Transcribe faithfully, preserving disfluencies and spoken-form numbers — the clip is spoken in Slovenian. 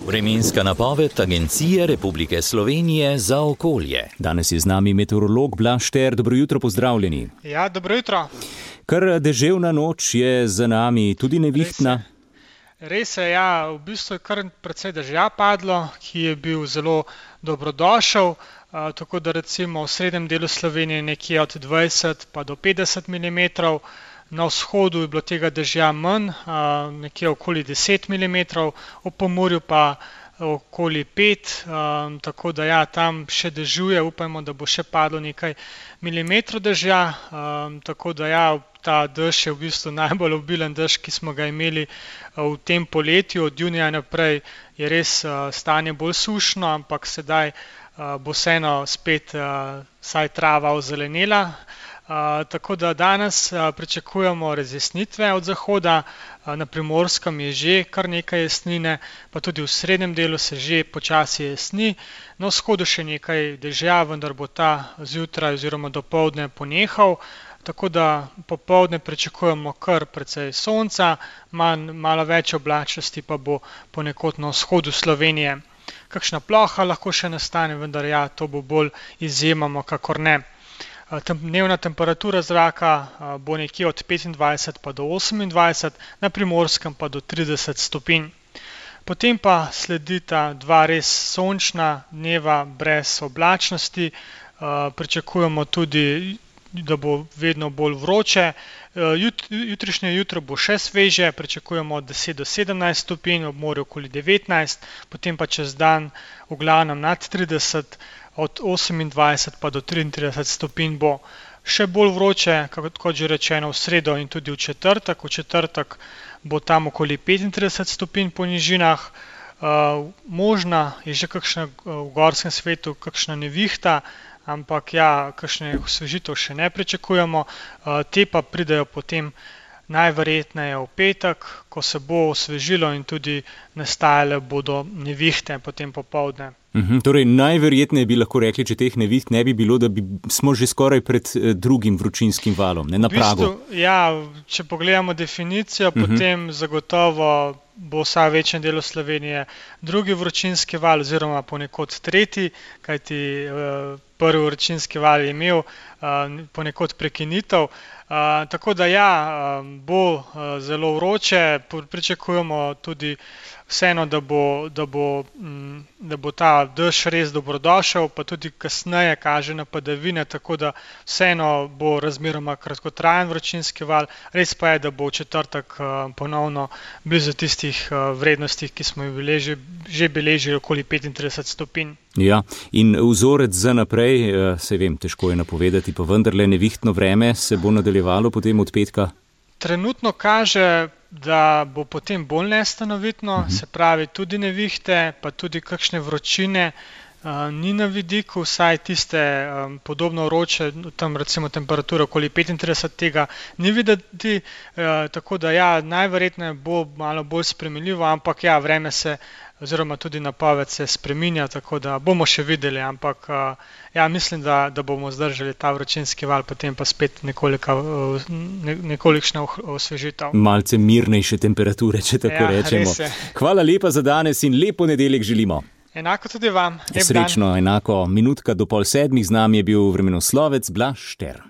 Vremenska napoved Agencije Republike Slovenije za okolje. Danes je z nami meteorolog Blaž Šter. Dobro jutro, pozdravljeni. Ja, dobro jutro. Kar deževna noč je za nami, tudi nevihtna. Res je, ja, v bistvu je kar precej dežja padlo, ki je bil zelo dobrodošel, uh, tako da recimo v srednjem delu Slovenije nekje od dvajset pa do petdeset milimetrov, na vzhodu je bilo tega dežja manj, uh, nekje okoli deset milimetrov, v Pomurju pa okoli pet, um, tako da ja, tam še dežuje, upajmo, da bo še padlo nekaj milimetrov dežja, um, tako da ja, ta dež je v bistvu najbolj obilen dež, ki smo ga imeli v tem poletju. Od junija naprej je res uh, stanje bolj sušno, ampak sedaj uh, bo vseeno spet uh, vsaj trava ozelenela. Uh, tako da danes uh, pričakujemo razjasnitve od zahoda, uh, na Primorskem je že kar nekaj jesnine, pa tudi v srednjem delu se že počasi jesni, na vzhodu še nekaj dežja, vendar bo ta zjutraj oziroma dopoldne ponehal, tako da popoldne pričakujemo kar precej sonca, manj, malo več oblačnosti pa bo ponekod na vzhodu Slovenije. Kakšna ploha lahko še nastane, vendar ja, to bo bolj izjemoma, kakor ne. Dnevna temperatura zraka bo nekje od petindvajset pa do osemindvajset, na Primorskem pa do trideset stopinj. Potem pa sledita dva res sončna dneva brez oblačnosti, pričakujemo tudi, da bo vedno bolj vroče. Jut, jutrišnje jutro bo še sveže, pričakujemo od deset do sedemnajst stopinj, ob morju okoli devetnajst, potem pa čez dan v glavnem nad trideset, od osemindvajset pa do triintrideset stopinj bo. Še bolj vroče, kot že rečeno, v sredo in tudi v četrtek. V četrtek bo tam okoli petintrideset stopinj po nižinah. Uh, možna je že kakšna v gorskem svetu, kakšna nevihta, ampak ja, kakšne osvežitev še ne pričakujemo. Uh, te pa pridejo potem najverjetneje v petek, ko se bo osvežilo in tudi nastajale bodo nevihte potem popoldne. Uhum, torej, najverjetneje bi lahko rekli, če teh neviht ne bi bilo, da bi, smo že skoraj pred eh, drugim vročinskim valom, ne na pragu. V bistvu, ja, če pogledamo definicijo, uhum. Potem zagotovo bo vsaj v večjem delu Slovenije drugi vročinski val oziroma ponekod tretji, kajti eh, prvi vročinski val je imel eh, ponekod prekinitev. Uh, tako da ja, bo uh, zelo vroče, pričakujemo tudi vseeno, da bo, da bo, m, da bo ta dež res dobrodošel, pa tudi kasneje kaže na padavine, tako da vseeno bo razmeroma kratkotrajen vročinski val, res pa je, da bo v četrtek uh, ponovno blizu tistih uh, vrednostih, ki smo jih beleži, že beležili okoli petintrideset stopinj. Ja, in vzorec za naprej, se vem, težko je napovedati, pa vendarle nevihtno vreme se bo nadaljevalo potem od petka? Trenutno kaže, da bo potem bolj nestanovitno, uh-huh. se pravi tudi nevihte, pa tudi kakšne vročine uh, ni na vidiku, vsaj tiste um, podobno vroče, tam recimo temperatura okoli petintrideset, tega ni videti, uh, tako da ja, najverjetneje bo malo bolj spremenljivo, ampak ja, vreme se oziroma tudi napoved se spreminja, tako da bomo še videli, ampak ja, mislim, da, da bomo zdržali ta vročinski val, potem pa spet nekoliko, ne, nekolikšna osvežitev. Malce mirnejše temperature, če tako ja, rečemo. Hvala lepa za danes in lep ponedeljek želimo. Enako tudi vam. Srečno, enako. Minutka do pol sedmih z nami je bil vremenoslovec Blaž Šter.